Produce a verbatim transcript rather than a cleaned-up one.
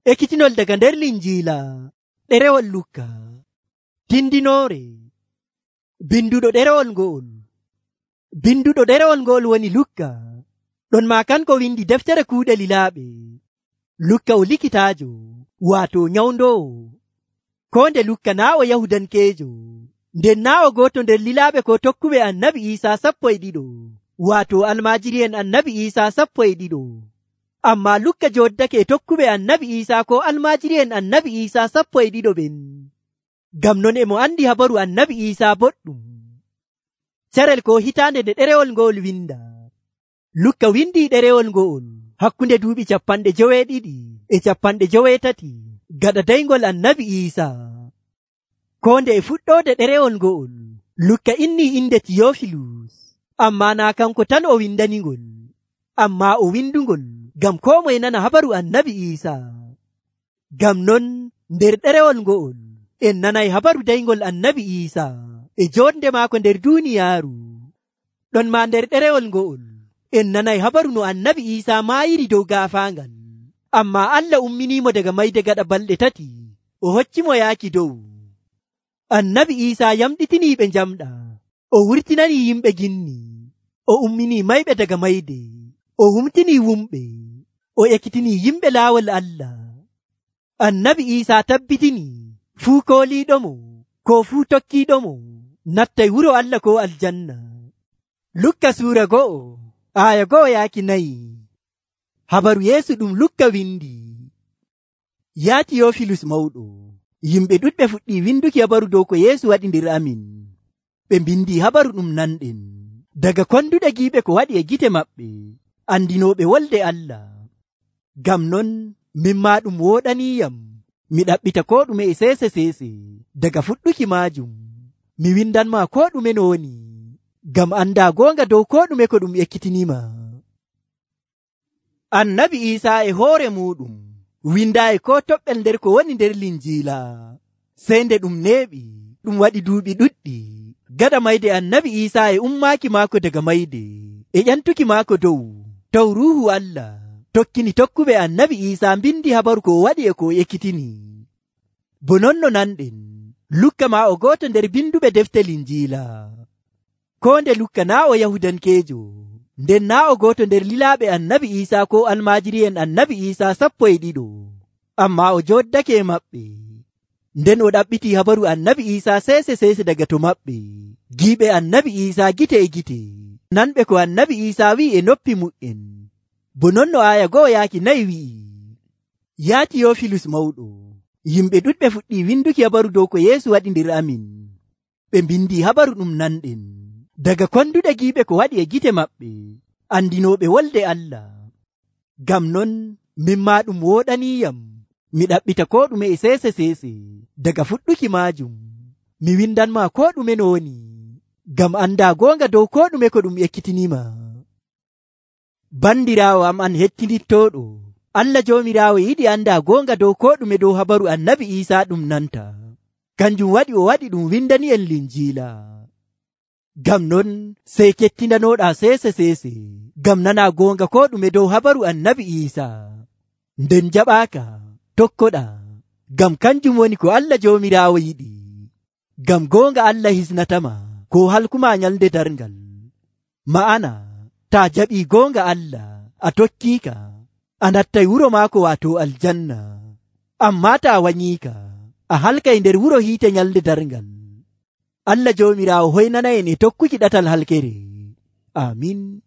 Ekkitinol daga nder Linjiila ɗerewol Lukka. Tindinoore. Binduɗo ɗerewol ngo'ol. Binduɗo ɗerewol ngo'ol woni Lukka. Ɗon maa kanko windi deftere kuuɗe lilaaɓe. Lukka o likitaajo, waato nyawndoowo. Ko nde Lukka naa o Yahudankeejo, nden naa o gooto nder lilaaɓe ko tokkuɓe Annabi Iisaa sappo e ɗiɗo, waato almaajiri'en Annabi Iisaa sappo e ɗiɗo. Ammaa Lukka jooddake e tokkuɓe Annabi Iisaa ko almaajiri'en Annabi Iisaa sappo e ɗiɗo ɓen. Ngam non e mo andi habaru Annabi Iisaa boɗɗum. Carel ko hitaande nde ɗerewol ngo'ol winda. Lukka windi ɗerewol ngo'ol hakkunde duuɓi capanɗe joweeɗiɗi e capanɗe joweetati gaɗa daygol Annabi Iisaa. Ko nde e fuɗɗoode ɗerewol ngo'ol, Lukka innii inde Tiyofilus, ammaa naa kanko tan o windaningol, ammaa o windungol ngam koo moye nana habaru Annabi Iisaa. Ngam non nder ɗerewol ngo'ol en nanay habaru daygol Annabi Iisaa e joonde maako nder duuniyaaru. Ɗon maa nder ɗerewol ngo'ol en nanay habaru no Annabi Iisaa maayiri dow gaafaangal, ammaa Allah umminiimo daga mayde gaɗa balɗe tati, o hoccimo yaaki dow. Annabi Iisaa yamɗitinii ɓe njamɗa, o wurtinanii yimɓe ginni, o umminii mayɓe daga mayde, o humtinii wumɓe, o ekkitinii yimɓe laawol Allah. Annabi Iisaa tabbitinii fuu kooliiɗomo ko fuu tokkiiɗomo nattay wuro Allah ko aljanna. Lukka suura go'o aaya go'o yaaki nayi. Habaru Yeesu ɗum Lukka windi. Yaa Tiyofilus mawɗo, yimɓe ɗuɗɓe fuɗɗii winduki habaru dow ko Yeesu waɗi nder amin. Ɓe mbindi habaru ɗum nanɗen daga konduɗe giiɓe ko waɗi e gite maɓɓe, andinooɓe wolde Allah. Ngam non min maa ɗum wooɗaniiyam mi ɗaɓɓita ko ɗume e seese seese daga fuɗɗuki maajum. Mi windanmaa ko ɗume no woni, ngam andaa goonga dow ko ɗume ko ɗum ekkitiniima. Annabi Iisaa e hoore muuɗum windaayi ko toɓɓel nder ko woni nder Linjiila, sey nde ɗum neeɓi ɗum waɗi duuɓi ɗuɗɗi gaɗa mayde Annabi Iisaa e ummaaki maako daga mayde e ƴantuki maako dow, taw Ruuhu Allah tokkini tokkuɓe Annabi Iisaa mbindi habaru ko o waɗi e ko o ekkitini. Bo non no nanɗen, Lukka maa o gooto nder binduɓe defte Linjiila. Ko nde Lukka naa o Yahudankeejo, nden naa o gooto nder lilaaɓe Annabi Iisaa ko almaajiri'en Annabi Iisaa sappo e ɗiɗo, ammaa o jooddake e maɓɓe. Nden o ɗaɓɓitii habaru Annabi Iisaa seese seese daga to maɓɓe, giiɓe Annabi Iisaa gite e gite, nanɓe ko Annabi Iisaa wi'i e noppi mu'en. Bo non no aaya go'o yaaki nayi wi'i. Yaa Tiyofilus mawɗo, yimɓe ɗuɗɓe fuɗɗii winduki habaru dow ko Yeesu waɗi nder amin. Ɓe mbindi habaru ɗum nanɗen daga konduɗe giiɓe ko waɗi e gite maɓɓe, andinooɓe wolde Allah. Ngam non min maa ɗum wooɗaniiyam mi ɗaɓɓita ko ɗume e seese seese daga fuɗɗuki maajum. Mi windanmaa ko ɗume no woni, ngam andaa goonga dow ko ɗume ko ɗum ekkitiniima. Bandiraawo am an hettinittooɗo, Allah Joomiraawo yiɗi andaa goonga dow ko ɗume dow habaru Annabi Iisaa ɗum nanta. Kanjum waɗi o waɗi ɗum windani en Linjiila. Ngam non sey kettindanooɗaa seese seese ngam nanaa goonga ko ɗume dow habaru Annabi Iisaa. Nden jaɓaaka tokkoɗaa, ngam kanjum woni ko Allah Joomiraawo yiɗi. Ngam goonga Allah hisnatama ko halkuma nyalde darngal. Ma'ana taa jaɓii goonga Allah a tokkiika, a nattay wuro maako waato aljanna. Ammaa taa wanyiika, a halkay nder wuro hiite nyalde darngal. Allah Joomiraawo hoynana en e tokkuki ɗatal halkere. Amin.